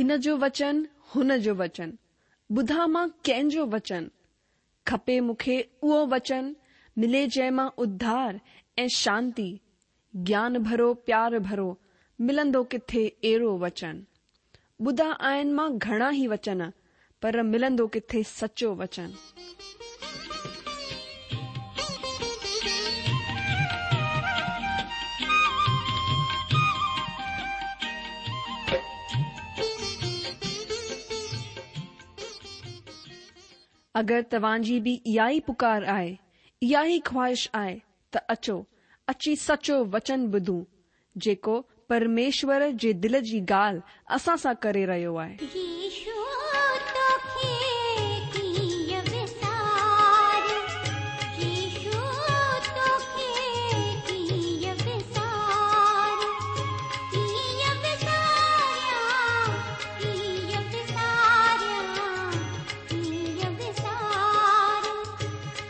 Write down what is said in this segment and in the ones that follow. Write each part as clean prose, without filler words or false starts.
هن جو وچن، هن جو وچن، ٻڌان مان ڪنهن جو وچن؟ کپي مون کي اهو وچن، ملي جنهن مان اڌار ۽ شانتي، گيان ڀرو پيار ڀرو، ملندو ڪٿي اهڙو وچن؟ ٻڌا آهن مان گهڻا ئي وچن، پر ملندو ڪٿي سچو وچن؟ اگر توهان جي به اها ئي پڪار آهي، اها ئي خواهش آهي ته اچو، اچي سچو وچن ٻڌون، جيڪو پرميشور جي دل جي ڳالهه اسان سان ڪري رهيو آهي. يسوع توکي ڪيئن وساريان يسوع توکي ڪيئن وساريان ڪيئن وساريان ڪيئن وساريان ڪيئن وساريان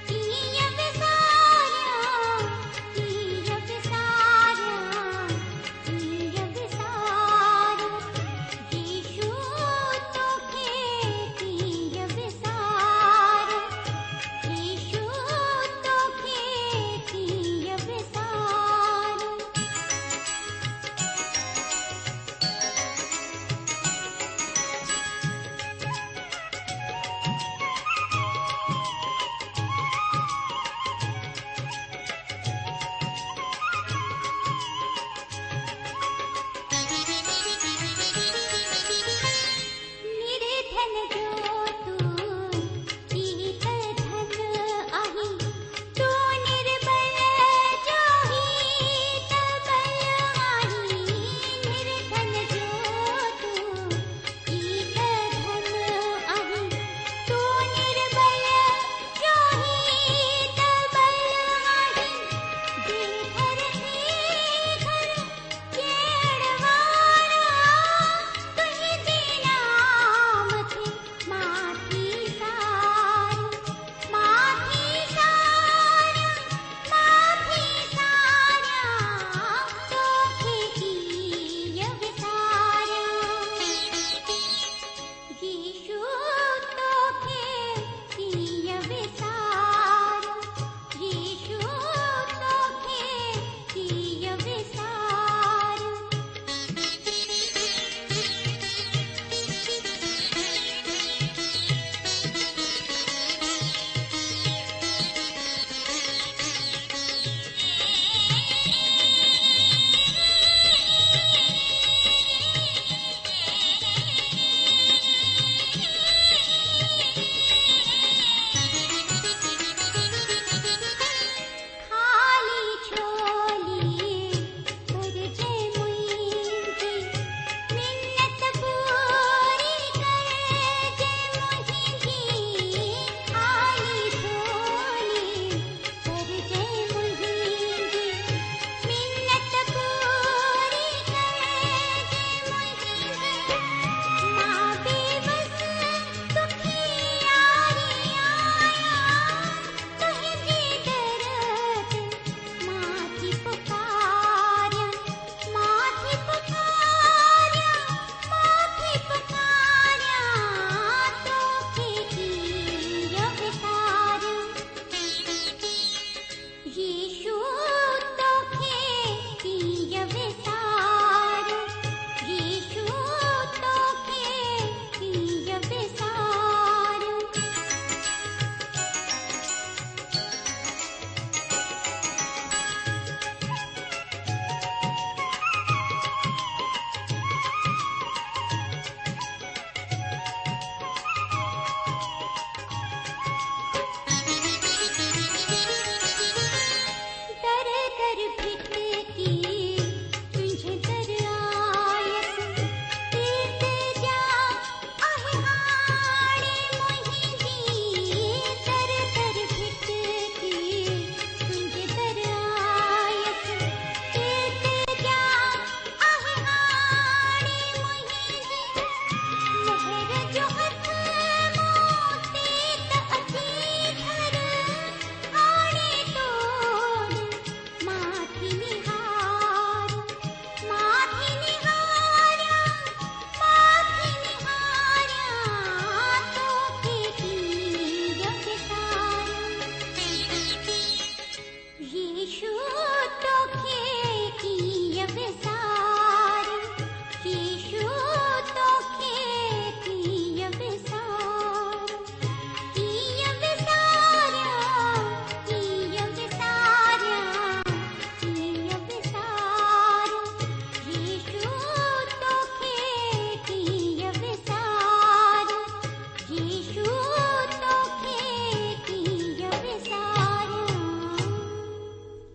ڪيئن وساريان ڪيئن وساريان ڪيئن وساريان يسوع توکي.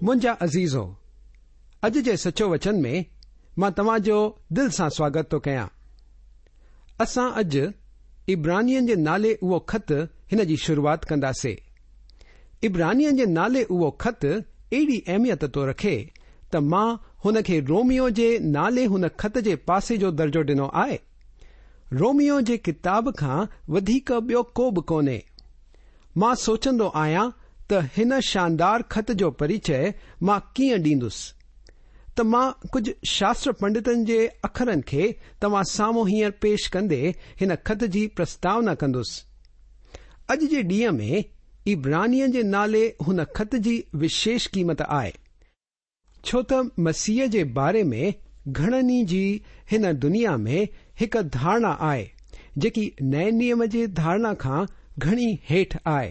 منهنجا عزيزو، اڄ جي سچو وچن ۾ مان توهان جو دل سان سواگت ٿو ڪيان. اسان اڄ عبرانين جي نالي اهو خط هن جي شروعات ڪنداسي. عبرانين جي نالي اهو خط اهڙي اهميت ٿو رکي ته مان هن کي روميو جي نالي هن خط جي پاسي جو درجو ڏنو آهي. روميو جي ڪتاب کان وڌيڪ ٻيو ڪو به ڪونهي. مان سوچندو آهيان ته هن شاندار خط جو پريچئه مان ڪيئن ڏيندس. ته مان ڪجهه شاستر پنڊتن جي اکرن کي توهان سامهون هينئر پيش ڪندي هن خط جي پرستاونا ڪندس. اڄ جي ڏينهن ۾ عبرانين جي نالي هن خط جي وشيش قيمت آهي. ڇو ته مسيح جي باري ۾ گهڻن ئي جي هن دنيا ۾ هڪ ڌارڻا آهي، جيڪي نئين نيم جي ڌارڻا کان گهڻي هيٺ آهي.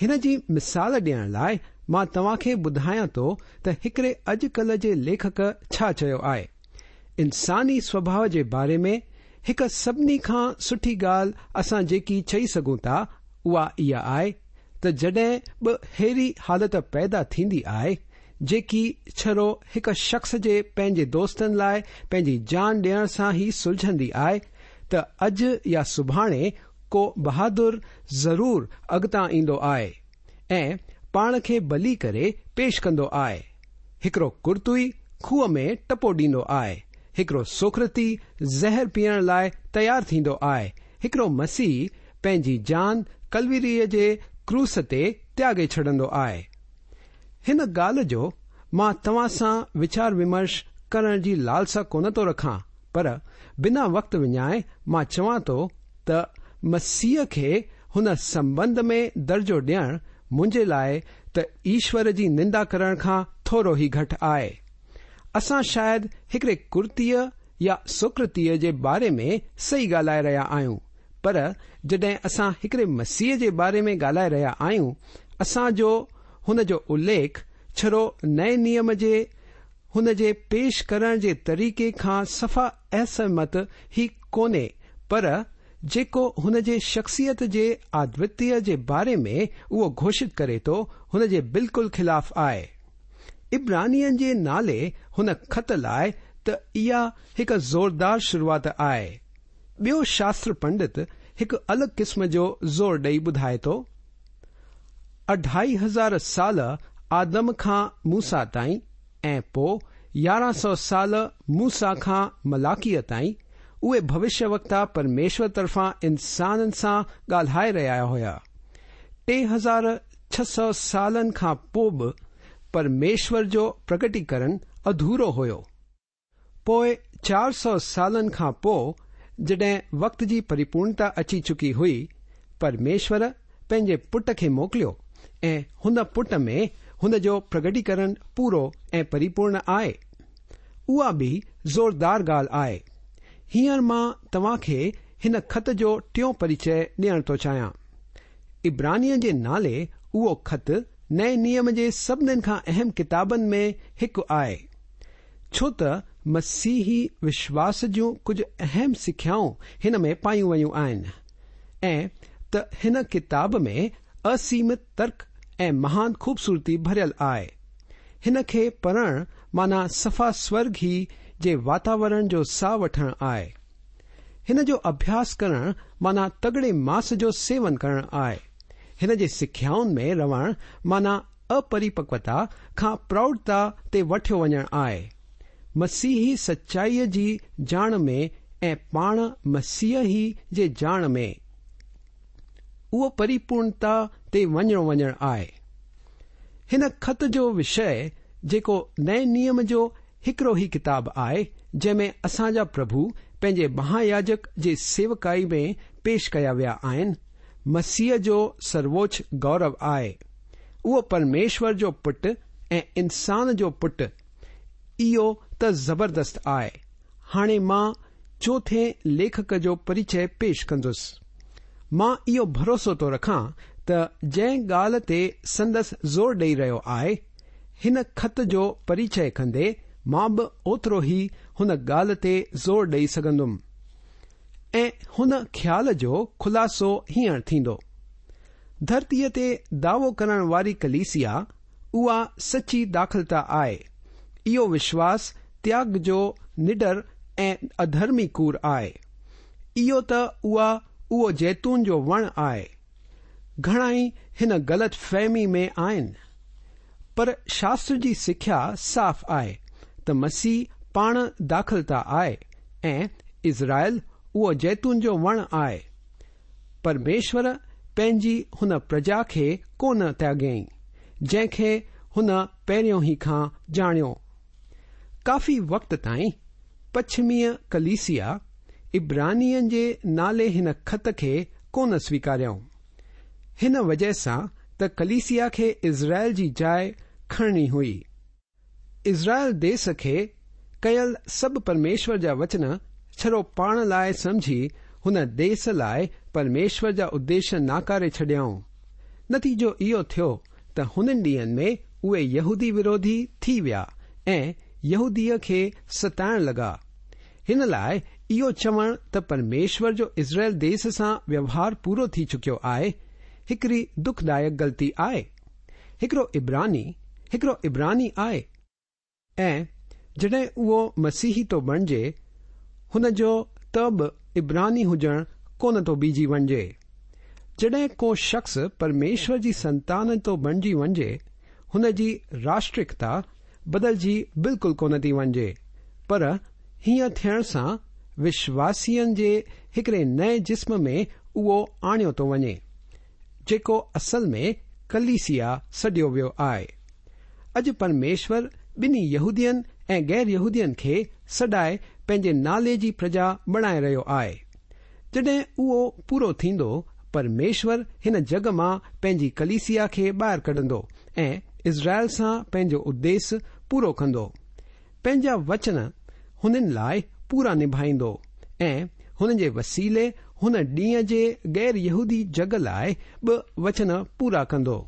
هن جي مثال ڏيڻ لاء مان توهان کي ٻڌايان ٿو ته هڪڙي اڄ ڪلهه جي ليکڪ ڇا چيو آهي. انساني سوڀاء جي باري ۾ هڪ سڀني کان سٺي ڳالهه اسان جيڪي چئي سگهون ٿا اها اها آهي ته جڏهن به ههڙي حالت پيدا ٿيندي آهي جيڪي ڇڙو هڪ شخص جي پنهنجي دوستن لاء پنهنجي جان ڏيڻ سان ئي سلجهندي آهي ته اڄ يا سڀاڻي ڪو بهادر ضرور اڳتان ايندو آهي ۽ پاڻ کي بلي ڪري پيش ڪندو آهي. هڪڙو ڪرتوئي کوهه ۾ ٽپو ڏيندو آهي، هڪڙو سقراطي زهر پيئڻ لاء تيار ٿيندو آهي، هڪڙو مسيحي پنهنجي جان ڪلوريء جي ڪروس تي تياڳي ڇڏندو آهي. هن ڳالهه جو مان توهان سان ويچار ومرش ڪرڻ جي لالسا ڪونه ٿو رکان پر بنا وقت وڃائي مان چوان ٿو ته مسيح کي هن سنٻنڌ ۾ درجو ڏيڻ منهنجي لاء ته ايشور جي نندا ڪرڻ کان ٿورو ئي گهٽ آهي. اسان شايد هڪڙي ڪرتيء يا سقراطيء جي باري ۾ صحيح ڳالهائي رهيا آهيون پر جڏهن اسان هڪڙي مسيح جي باري ۾ ڳالهائي رهيا آهيون، اسان جو هن جو اليک ڇڙو نئين نيم جي هن جي پيش ڪرڻ جي طريقي کان صفا اسهمت ئي ڪونهي پر جيڪو هن جي شخصيت جي ادوتيه جي باري ۾ اهو گهوشت ڪري ٿو هن جي بلڪل خلاف آهي. عبرانين جي نالي هن خط لاء ته اها هڪ زوردار شروعات آهي. ٻيو شاستر پنڊت هڪ الڳ قسم جو زور ڏئي ٻڌائي ٿو، اڍائي هزار سال آدم کان موسيٰ تائين ۽ پو 1100 سال موسيٰ کان ملاڪيء تائين اهي ڀوشيه وڪتا پرميشور طرفان انسانن سان ڳالهائي رهيا هيا. 3600 سالن کان پو به پرميشور جو پرگٽيڪرڻ اڌورو هيو. پوء 400 سالن کان پوء جڏهن وقت جي پريپورڻتا اچي چڪي هئي، پرميشور پنهنجي پٽ کي موڪليو ۽ هن پٽ ۾ هن جو پرگٽيڪرڻ پورو ۽ پريپورڻ آهي. اها به زوردار ڳالهه آهي. هينئر مان توهان کي هن خط جو ٽيون پريچئه ڏيڻ ٿو چاهيان. عبرانين جي نالي اهو خط نئين نيم جي سڀنين کان اهم ڪتابن ۾ هڪ آهي. ڇو ته مسيحي وشواس جون ڪجهه اهم سکيائون هن ۾ پايون ويون آهن ۽ ته هن ڪتاب ۾ اسيمت ترڪ ۽ مهان خوبصورتي ڀريل آهي. هن کي پڙهڻ معنيٰ صفا سورگ ئي جي واتاورڻ جو ساهه وٺڻ آهي. هن جو اڀياس ڪرڻ معنيٰ تڳڙي ماس جو سيون ڪرڻ آهي. هن جي سکيائن ۾ رهڻ معنيٰ اپريپڪوتا کان پروڙتا تي وٺيو وڃڻ آهي. مسيحي سچائيء جي ڄاڻ ۾ ۽ پاڻ مسيح ئي جي ڄاڻ ۾، اهو پريپورڻتا تي وڃڻو وڃڻ آهي. هن خط جو وشيه جيڪو نئين نيم جو هڪڙو ئي ڪتاب آهي، جنهن ۾ اسان جا پرڀو پنهنجي مهاياجڪ جي سيوڪائي ۾ پيش ڪيا ويا آهن، مسيح جو سرووچ گورو آهي. اهو پرميشور جو پٽ ۽ انسان جو پٽ، اهو ته زبردست آهي. هاڻي مان چوٿين ليکڪ جو پريچئه پيش ڪندس. مان اهو ڀروسو ٿو رکان ته جنهن ڳالهه تي سندس زور ڏئي رهيو آهي، هن خط جو پريچئه ڪندي مان به اوترو ئي هن ڳالهه تي زور ڏئي سگهندم. ۽ هن خيال جو خلاصو هينئر ٿيندو. ڌرتيء تي دعوو ڪرڻ واري ڪليسيا اها سچي داکلتا آهي. اهو وشواس تياڳ جو نڊر ۽ اڌرمي ڪوڙ آهي. اهو ته اها اهو زيتون جو وڻ آهي. گهڻائي هن غلط فهمي ۾ آهن. پر شاستر جي سکيا صاف آهي ته مسيح پاڻ داکلتا آهي ۽ اسرائيل اهو زيتون جو وڻ آهي. پرميشور پنهنجي هن پرجا کي ڪونه تياڳيائين، جنهن کي هن پهريون ئي کان ڄاڻيو. ڪافي وقت تائين پڇميء ڪليسيا عبرانين جي نالي هن خط کي ڪونه سويڪاريائون. هن وجهه سان ته ڪليسيا کي اسرائيل جي جاء کڻڻي هئي. اسرائيل ديس کي ڪيل سڀ پرميشور جا وچن ڇڙو پاڻ لاء سمجهي هن ديس لاء پرميشور جا اديش ناڪاري ڇڏيائون. نتيجو اهو ٿيو ته هنن ڏينهن ۾ اهي يهودي وروڌي ٿي ويا ۽ يهوديء کي ستائڻ لڳا. هن لاء اهو چوڻ ته پرميشور جو اسرائيل ديس سان ويوهار پورو ٿي چڪيو آهي، هڪڙي دکدائڪ غلطي آهي. هڪڙو عبراني، هڪڙو عبراني آهي. ۽ جڏهن اهو مسيحي ٿو بڻجي، هن جو ته به عبراني هجڻ ڪونه ٿو بيهجي وڃجي. جڏهن ڪو شخص پرميشور جي سنتان ٿو بڻجي وڃجي، هن جي راشٽريڪتا بدلجي بلڪل ڪونه ٿي وڃجي، پر هيئن ٿيڻ سان وشواسين جي هڪڙي نئين جسم ۾ اهو آڻيو ٿو وڃي. جيڪو اصل ۾ ڪليسيا سڏيو ويو آهي. اڄ پرميشور ٻنهي يهودين ۽ غير يهودين کي سڏائي پنهنجي نالي جي پرجا بڻائي رهيو آهي. جڏهن اهو پورو ٿيندو، پرميشور هن جڳ مان پنهنجي ڪليسيا کي ٻاهر ڪڍندو ۽ اسرائيل سان پنهنجو اديس پورو ڪندو. پنهنجا وچن هنن لاء پورا نڀائيندو ۽ هن جي وسيلي هن ڏينهن جي غير يهودي جڳ لاء به وچن پورا ڪندو.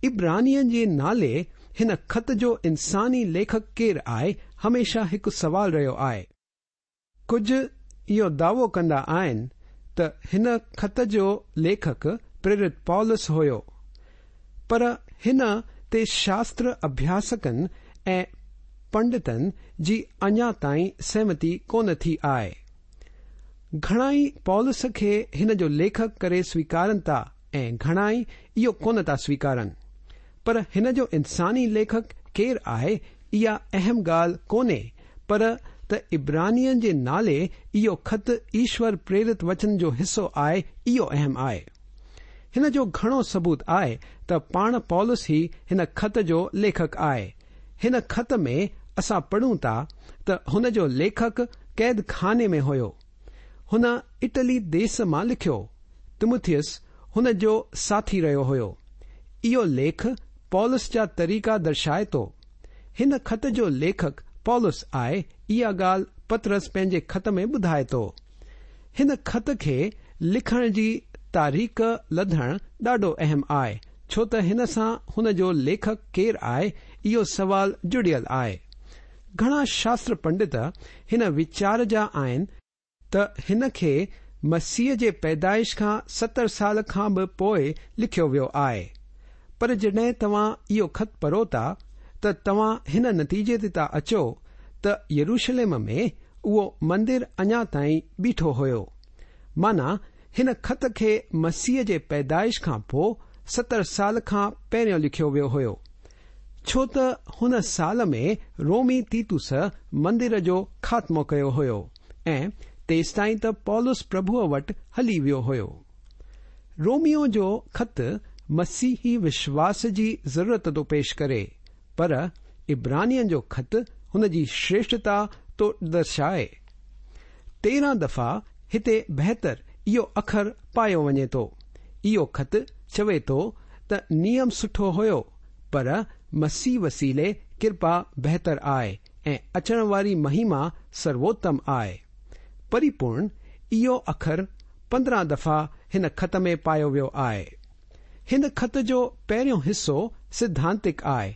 عبرانين جي نالي هن خط جو انساني ليکڪ ڪير آهي هميشه هڪ سوال رهيو آهي. ڪجهه اهو دعوو ڪندا آهن ته هن خط جو ليکڪ پريرت پولس هيو، پر هن تي شاستر اڀياسڪن ۽ پنڊتن جي اڃا تائين سهمتي ڪونه ٿي آهي. گهڻائي پولس کي هن جو ليکڪ ڪري سويڪارن ٿا ۽ گهڻائي اهو ڪونه ٿا سويڪارن. پر هن جو انساني ليکڪ ڪير آهي اها اهم ڳالهه ڪونهي پر ته عبرانين جي نالي اهو خط ايشور پريرت وچن جو حصو آهي اهو اهم آهي. هن جو گهڻو ثبوت آهي ته پاڻ پولس ئي هن خط جو ليکڪ آهي. هن خط ۾ اسان پڙهون ٿا ته هن جو ليکڪ قيد خاني ۾ هيو. هن اٽلي ديس مان لکيو. تمٿيس هن جو ساٿي رهيو هيو. اهو ليک پولس جا طريقا درشائي ٿو. هن خط جو ليکڪ پولس آهي اها ڳالهه پطرس پنهنجي خط ۾ ٻڌائي ٿو. هن خط کي لکڻ جي تاريخ لڌڻ ڏاڍو اهم آهي ڇو ته هن سان هن جو ليکڪ ڪير آهي اهو سوال جڙيل آهي. گهڻا شاستر پنڊت هن ويچار جا آهن ته هن کي مسيح جي پيدائش کان 70 سال کان به پوء لکيو ويو آهي. پر جڏهن توهان اهو خط پڙهو ٿا ته توهان هن نتيجي تي ٿا اچو ته يروشلم ۾ اهو مندر اڃا تائين بيٺو هيو. معنيٰ هن خط کي مسيح جي پيدائش کان پوء 70 سال کان پهريون لکيو ويو هيو. ڇو ته هن سال ۾ رومي تيتوس مندر جو خاتمو ڪيو هيو ۽ تيستائين ته پولس پرڀوء وٽ هلي ويو هيو. روميو جو خط مسيحي وشواس جي ضرورت ٿو پيش ڪري، پر عبرانين جو خط هن جي شريشٺتا ٿو درشائي. 13 دفعا هتي بهتر اهو اکر پايو وڃي ٿو. اهو خط چوي ٿو ته نيم سٺو هيو، پر مسيح وسيلي ڪرپا بهتر آهي ۽ اچڻ واري مهما سرووتم آهي. پريپورڻ اهو اکر 15 دفعا هن خط ۾ پايو ويو آهي. هن خط جو پهريون حصو سڌانتڪ آهي.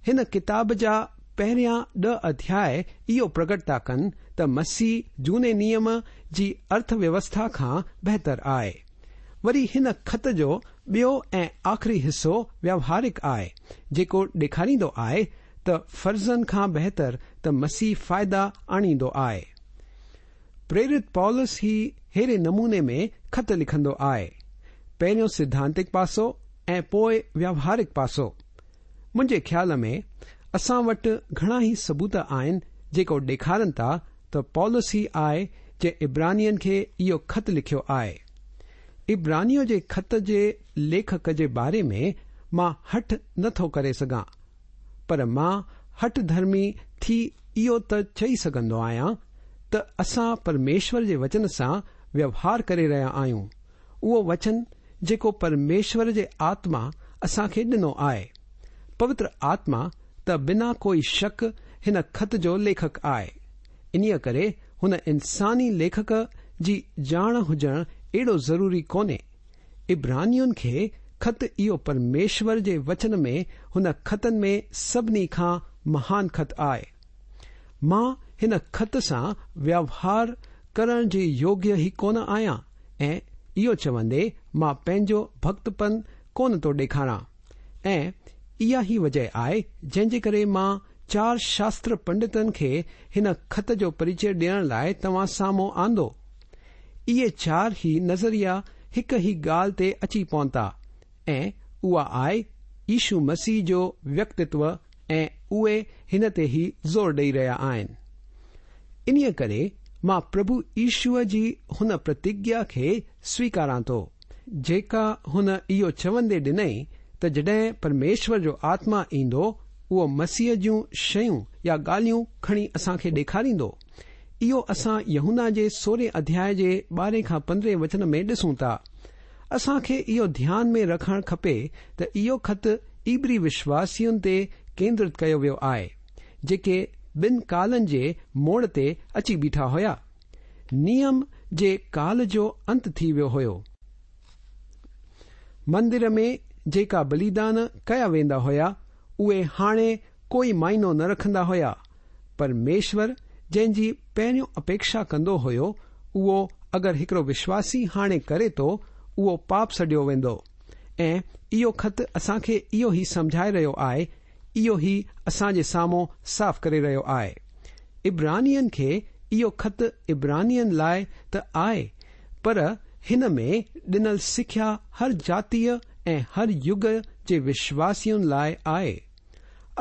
هن ڪتاب جا پهريان ڏهه اڌياء اهو پرگٽ ٿا ڪن ته مسيح جهوني نيم جي ارٿ ويوسٿا کان بهتر آهي. وري هن خط جو ٻيو ۽ آخري حصو ويوهارڪ آهي، جيڪو ڏيکاريندو آهي ته فرضن کان بهتر ته مسيح فائدا آڻيندو آهي. پريرت پولس هي ههڙي نموني ۾ خط لکندو آهي، پهريون سڌانتڪ پاسو ۽ پوء ويوهارڪ پاسو. منهنجي خيال ۾ اسان وٽ گهڻا ئي ثبوت آهن جيڪو ڏيکارن ٿا ته پولس ئي آهي جنهن عبرانين کي اهو خط لکيو آهي. عبرانيو جي خط جي ليکڪ جي باري ۾ مان هٺ نه ٿو ڪري سگهان، پر مان هٺ ڌرمي ٿي اهو ته چئي سگهندو آهيان ته اسان پرميشور جي وچن سان ويوهار ڪري رهيا آهيون، اهو وچن جيڪو پرميشور جي آتما اسان کي ڏنو آهي. پوتر آتما ته بنا ڪوئي شڪ هن خط جو ليکڪ آهي. انهيء ڪري هن انساني ليکڪ جي ڄاڻ هجڻ ايڏو ضروري ڪونهي. عبرانين کي خط اهو پرميشور جي وچن ۾ هن خطن ۾ سڀني کان مهان خط آهي. مان هن خط سان ويوهار ڪرڻ جي يوگيه ئي ڪونه آهيان ۽ اهو چوندي مان پنهنجو ڀڳتپن ڪونه ٿو ڏيکاران. ۽ اها ئي وجه آهي جنهن جي ڪري مان چار شاستر پنڊتن کي هن خط جو پريچيه ڏيڻ لاء توهان سامهون آندو. اهي چار ئي نظريا هڪ ئي ڳالهه تي اچي پهتا ۽ اها آهي يشو مسيح جو ويڪتتو ۽ اهي هن تي ئي زور ڏئي رهيا آهن. انهيء ڪري مان پرڀو يشوء جي هن پرتگيا کي سويڪاران ٿو، جيڪا هن اهو چوندي ڏنئي ته جڏهن پرميشور جو آتما ايندو، اهو مسيح جون شيون يا ڳالهيون کڻي اسان کي ڏيکاريندو. اهو اسان يوحنا جي سورهين اڌياء جي ٻارهين کان پندرهين وچن ۾ ڏسون ٿا. اسان کي اهو ڌيان ۾ رکڻ کپي ته اهو خط عبري وشواسين تي ڪيندرت ڪيو ويو آهي، جيڪي ٻن ڪالن جي موڙ تي اچي بيٺا هيا. نيم جي ڪال جو انت ٿي ويو هيو. مندر ۾ جيڪا بليدان ڪيا ويندا هيا، اهي هاڻي ڪوئي معنو نه رکندا هيا. پرميشور جنهن جي پهريون اپيڪشا ڪندو هيو، اهو اگر هڪڙو وشواسي هاڻي ڪري ٿو، اهو پاپ سڏيو ويندو. ۽ اهو خط اسان کي اهو ئي سمجهائي رهيو آهي اهو ئي اسان جي سامهون صاف ڪري رهيو آهي. عبرانين کي اهو خط عبرانين لاء ته آهي پر هن ۾ ڏنل سکيا هر جاتيء ۽ هر يگ جي وشواسين لاء آهي.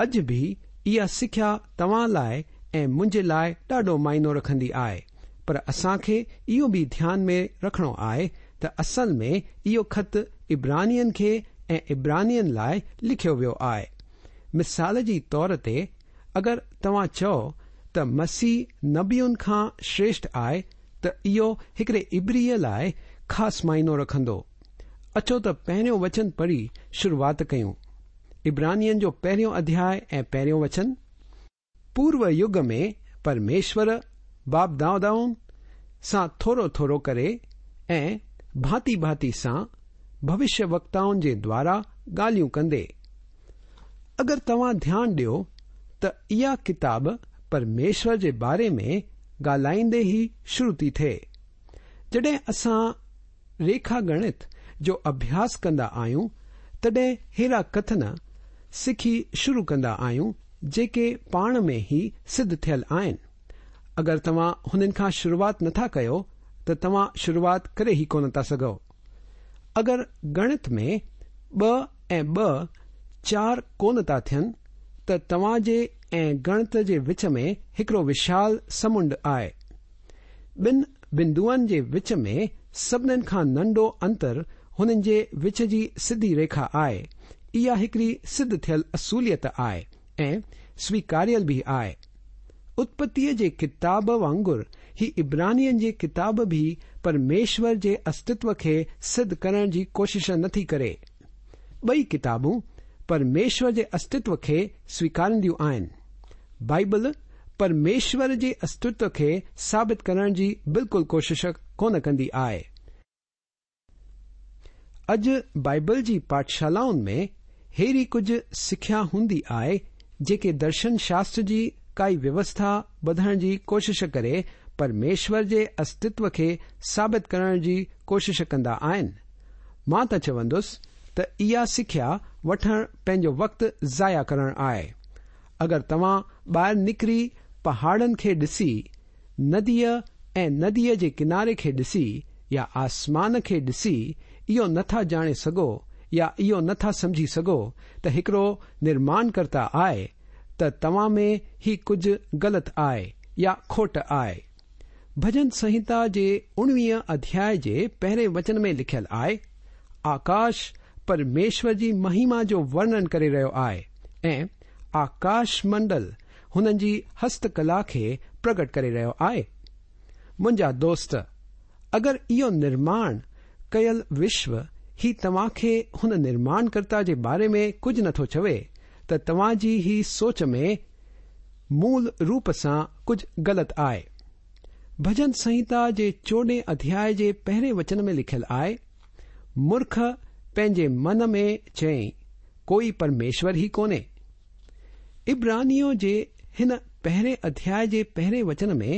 اڄ به اها سکيا توهان لاء ۽ منهنجي لاء ڏاڍو معنو رکندي آهي پر اسان کي اهو به ڌيان ۾ رکڻو آهي ته اصل ۾ اهو خط عبرانين کي ۽ عبرانين لاء لکيو ويو آهي. مثال جي طور تي اگر توهان چئو ته مسيح نبين کان شريشٺ آهي ته اهو هڪڙي عبريء لاء خاص معنو رکندو. اچو ته پهريون وچن پڙهي شروعات ڪيون. عبرانين جو پهريون اڌياء ۽ پهريون وچن. پورو يگ ۾ پرميشور باپ دادائن سان ٿورو ٿورو ڪري ۽ ڀانتي ڀانتي سان ڀوشيه وڪتائن جي دوارا ڳالهيون ڪندي. اگر توهان ڌيان ڏيو ته اها ڪتاب پرميشور جي باري ۾ ڳالهائيندي ئي شروع ٿي ٿئي. جڏهن اسان ريکا ڳڻت جو اڀياس ڪندا آهيون تڏهن ههڙا ڪٿن سکي شروع ڪندا آهيون جيڪي پاڻ ۾ ئي سڌ ٿيل آهن. اگر توهان هنن کان شروعات نٿا ڪيو ته توهان شروعات ڪري ئي ڪونه ٿا سگهو. اگر ڳڻت ۾ ٻه ۽ ٻه چار ڪونه ٿا ٿين ته توهان جي ۽ ڳڻت جي وچ ۾ هڪڙو وشال سمنڊ آهي. ٻن بندوئن جي وچ ۾ سڀنين کان ننڍو انتر هنن جي وچ جي سڌي ريکا آهي. اها هڪڙي سڌ ٿيل اصوليت آهي ۽ سويڪاريل به آهي. اتپتيء جي ڪتاب وانگر هي عبرانين جي ڪتاب به پرميشور جي استتو کي سڌ ڪرڻ جي ڪوشش نٿي ڪري. ٻئي ڪتابون پرميشور جي استتو کي سويڪارينديون آهن. بائيبل پرميشور جي استتو کي ثابت ڪرڻ جي بلڪل ڪوشش ڪونه ڪندي آهي. اڄ بائيبل جي پاٺشالائن ۾ ههڙي ڪجهه سکيا هوندي آهي جيڪي درشن شاستر جي ڪائي ويوسٿا ٻڌڻ جي ڪوشش ڪري پرميشور جي استتو کي ثابت ڪرڻ جي ڪوشش ڪندا آهن. مان ته چوندس ته اها سکيا وٺڻ پنهنجو وقت ضايع ڪرڻ آهي. اگر توهان ٻاهر نڪري پهاڙن کي ڏسي، نديء ۽ نديء جي ڪناري کي ڏسي يا آسمان کي ڏسي اهو نه ٿا ڄاڻي سگهو يا اهو نه ٿا سمجهي سگهو ته هڪڙو نرماڻڪرتا آهي ته توهان ۾ هي ڪجهه غلط آهي يا کوٽ آهي. ڀڄن سنهتا جي اڻويهه اڌياء جي پهرين وچن ۾ لکيل آهي، آڪاش پرميشور جي مهما جو ورڻن ڪري رهيو آهي ۽ آڪاش منڊل هنن جي هست ڪلا کي پرگٽ ڪري رهيو آهي. منهنجا دوست، اگر اهو نرماڻ ڪيل وشو هي توهان کي هن نرماڻڪرتا جي باري ۾ ڪجهه نٿو چوي ته توهان جي هي سوچ ۾ مول روپ سان ڪجهه غلط آهي. ڀڄن سنهتا جي چوڏهين اڌياء جي پهرين وچن ۾ لکيل آهي، مورک پنهنجي من ۾ چئي، ڪوئي پرميشور ئي ڪونهي. عبرانيون جي هن پهرين اڌياء جي پهرين وچن ۾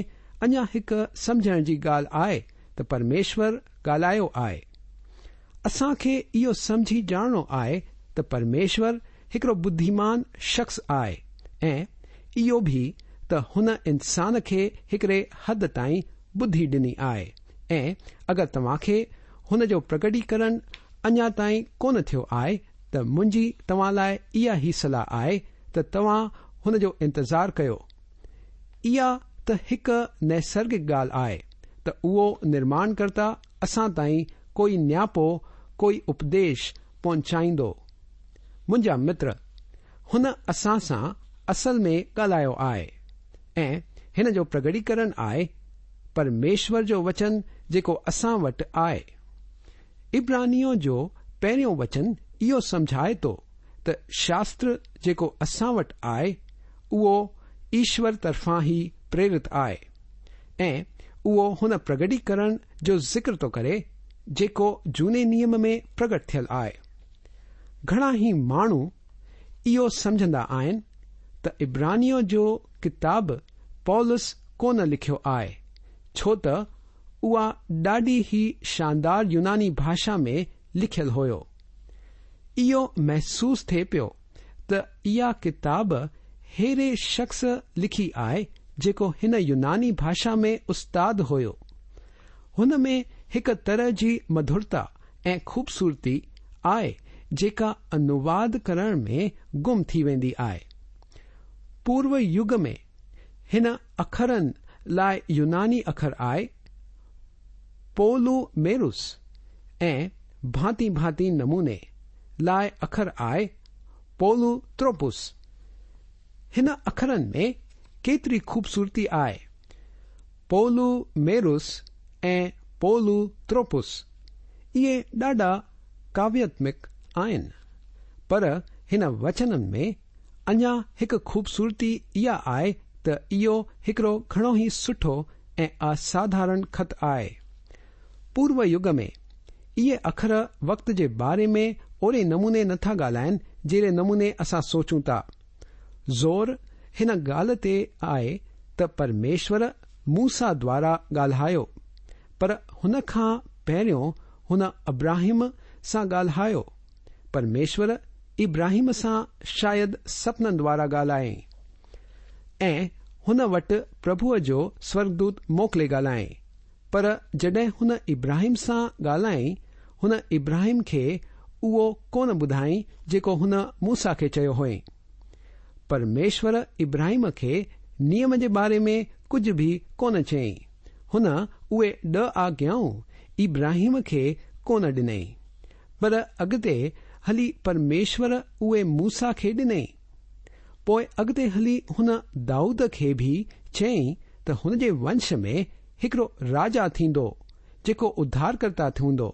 اڃا هڪ سمجهڻ جي ڳالهه آهي ته پرميشور ڳالهايو آهي. اسان کي اهو سمجهي ڄاڻڻو آهي ته پرميشور هڪڙو ٻڌيمان شخص آهي ۽ اهو به ته هن انسان کي هڪڙي حد تائين ٻڌي ڏني آهي ۽ اگر توهان کي هن جو پرگٽيڪرڻ اڃا تائين ڪونه ٿيو آهي ته منهنجي توهان لاء اها هي صلاح آهي ته توهان هن جو انتظار ڪيو. اها ته هڪ نيسرگڪ ڳالهه آهي ته اهو نرماڻڪرتا اسان تائين ڪوئي نياپو، ڪوئي اپديش پهچائيندو. منهنجا متر، هن اسان سان اصل ۾ ڳالهايو آهي ۽ هن جو پرگٽيڪرڻ آهي پرميشور جو وچن جيڪو اسان وٽ آهي. عبرانيون جو پهريون وچن اهو سمجهائي ٿو ته شاستر جيڪو اسان وٽ آهي اهو ايشور طرفان ئي پريرت آهي ۽ اهو هن پرگٽيڪرڻ جو ذڪر ٿو ڪري جيڪو جهوني نيم ۾ پرگٽ ٿيل آهي. گهڻا ئي ماڻهو اهو سمجهندا آهن ته عبرانيون جو ڪتاب پولس ڪونه لکيو آهي ڇو ته اها ڏاڍي ئي شاندار يوناني ڀاشا ۾ لکيل هيو. اهو محسوس ٿئي پيو ته اها ڪتاب ههڙي شخص لکي آهي جيڪو هن يوناني ڀاشا ۾ استاد هيو. هن ۾ هڪ طرح جي مڌرتا ۽ خوبصورتي آهي جيڪا انوواد ڪرڻ ۾ گم ٿي ويندي آهي. پورو يگ ۾ هن اکرن لاء يوناني اکر آهي پولو ميروس ۽ ڀانتي ڀانتي نموني لاء اکر آهي پولو تروپوس. هن اکرن ۾ ڪيتري خوبصورتي آهي. پولو ميروس ۽ پولو تروپوس اهي ڏاڍا ڪاوياتمڪ آهن. پر هن وچنن ۾ اڃا هڪ خوبصورتي اها آهي ته اهو هڪڙو گهڻو ئي سٺو ۽ اساڌارڻ خط آهي. پورو يگ ۾ اهي اکر وقت جي باري ۾ اوهڙي نموني نه ٿا ڳالهائن جهڙي نموني اسان سوچون ٿا. زور هن ڳالهه تي آهي ته پرميشور موسيٰ دوارا ڳالهايو، پر هن کان پهريون هن ابراهيم سان ڳالهايو. پرميشور ابراهيم سان شايد سپنن دوارا ڳالهايائين ۽ هن وٽ پرڀوء جو سورڳدوت موڪلي ڳالهايائين. پر جڏهن هن ابراهيم سان ڳالهايائين، هن ابراهيم کي اهو ڪونه ٻڌايائين جيڪو هن موسيٰ کي چيو هئائين. پرميشور ابراهيم کي نيم جي باري ۾ ڪجهه به ڪونه چيائين. هن اهي ڏهه آگيائون ابراهيم کي ڪونه ڏنائين. پر اڳتي هلي پرميشور اهي موسيٰ کي ڏنائين. پوء اڳتي هلي هن دائود کي به چيائين ته هن جي ونش ۾ هڪڙو راجا ٿيندو جيڪو اڌارڪرتا ٿيندو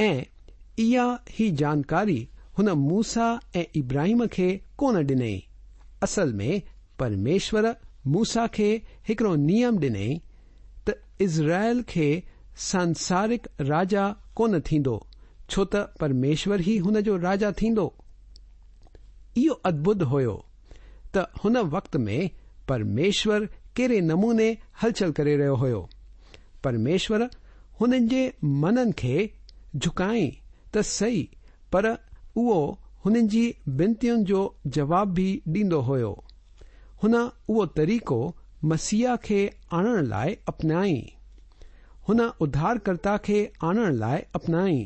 ۽ اها هي جانڪاري هن موسيٰ ۽ ابراهيم کي ڪونه ڏنائين. اصل ۾ پرميشور موسيٰ کي هڪڙو نيم ڏنائين ته اسرائيل کي سانسارڪ راجا ڪونه ٿيندو ڇو ته پرميشور ئي هن جو راجا ٿيندو. اهو ادڀت هيو ته هن وقت ۾ پرميشور ڪهڙي نموني هلچل ڪري رهيو هيو. پرميشور هنن جي منن کي جهڪائين ته سهي پر اهو هنن جي بنتين جو جواب به ڏيندو هيو. هن اهو طريقو مسيح کي آڻڻ لاء اپنائين. هن اڌارڪرتا کي آڻڻ لاء اپنائين.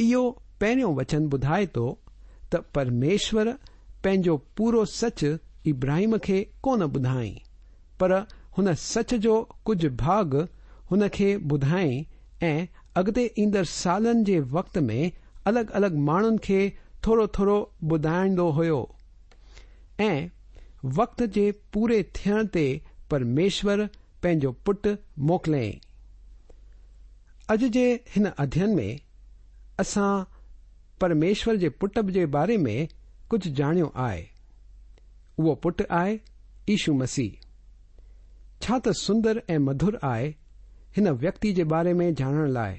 اهو پهريون وچن ٻڌائي ٿو ته پرميشور پنهنجو پورو سچ ابراهيم کي ڪونه ٻڌائين پر هن سچ جو ڪجهه ڀاڳ هن کي ٻڌائين ۽ اڳتي ايندڙ سالن جي وقت ۾ الڳ الڳ ماڻهن کي ٿورو ٿورو ٻڌائيندو هيو ۽ وقت جي پوري ٿيڻ تي پرميشور پنهنجو پٽ موڪليائين. اڄ جي هن اڌين ۾ اسان پرميشور جي پٽ جي باري ۾ ڪجهه ڄاڻيو آهي. اهو پٽ آهي يشو مسيح. ڇا ته سندر ۽ مڌر آهي هن ويڪتي جي باري ۾ ڄاڻڻ لاء.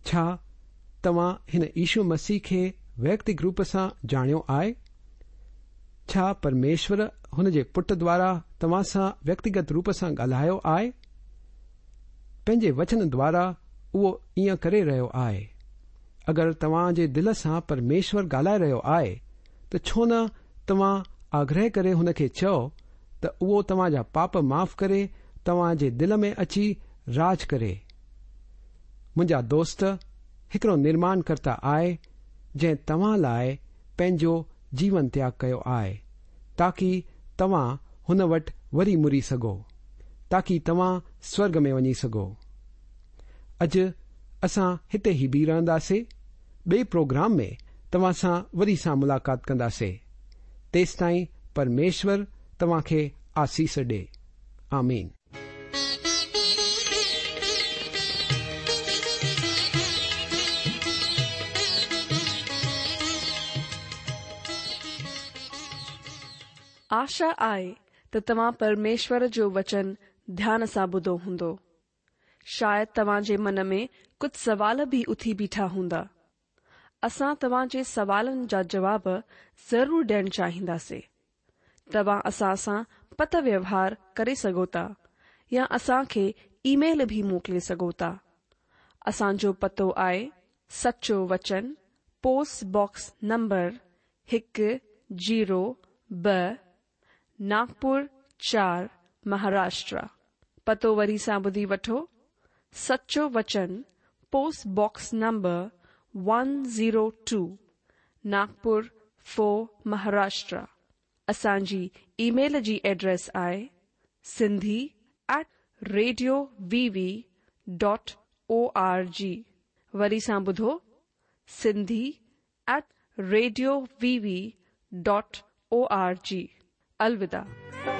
ڇا توهان هن يشو مسيح کي ويڪتڪ روپ سان ڄاڻيو آهي؟ ڇا پرميشور هن جي پٽ دوارا توهان سان ويڪتيگت روپ سان ڳالهايو آهي؟ پنهنجي وچن دوارا اهو ائين ڪري رهيو آهي. اگر توهان جي دل سان پرميشور ڳالهائي رهيو آهي ته ڇو نه توهان آگرهه ڪري هن کي چئو ته اهو توهان جا پاپ معاف ڪري توهان جي دل ۾ اچي راڄ ڪري. منهنجا دوست هڪڙو نرماڻ ڪرتا آهي جنهن توهان لاء پنهنجو جيون تياڳ ڪيو آهي تاڪي توهان هن وٽ وري مڙي سگهو تاڪي توهان سورڳ ۾ وڃي سگهو. اڄ اسان هتي ئي بيهي رهنداسي ٻئي پروگرام ۾ توهان سان وري سان ملاقات ڪنداسي تيستائين پرميشور توهان کي آسيس ڏي. آمين. آشا آهي ته توهان پرميشور جو وچن ڌيان سان ٻڌو هوندو. شايد توهان جي من ۾ ڪجهه سوال به اٿي بيٺا هوندا. اسان توهان جي سوالن جا جواب ضرور ڏيڻ چاهينداسي. توهان اسان سان پتر ويوهار ڪري سگهو ٿا يا اسان کي اي ميل به موڪلي سگهو ٿا. اسان جو پتو آهي سچو وچن پوسٽ باڪس نمبر هڪ زيرو ٻه ناگپور چار مهاراشٽرا. پتو وري سان ٻڌي وٺو سچو وچن post box number one zero two Nagpur four Maharashtra. اسان جي اي ميل جي ايڊريس آهي Sindhi at radio V V dot O R G وري سان ٻڌو Sindhi at radio V V dot O R G. الوداع.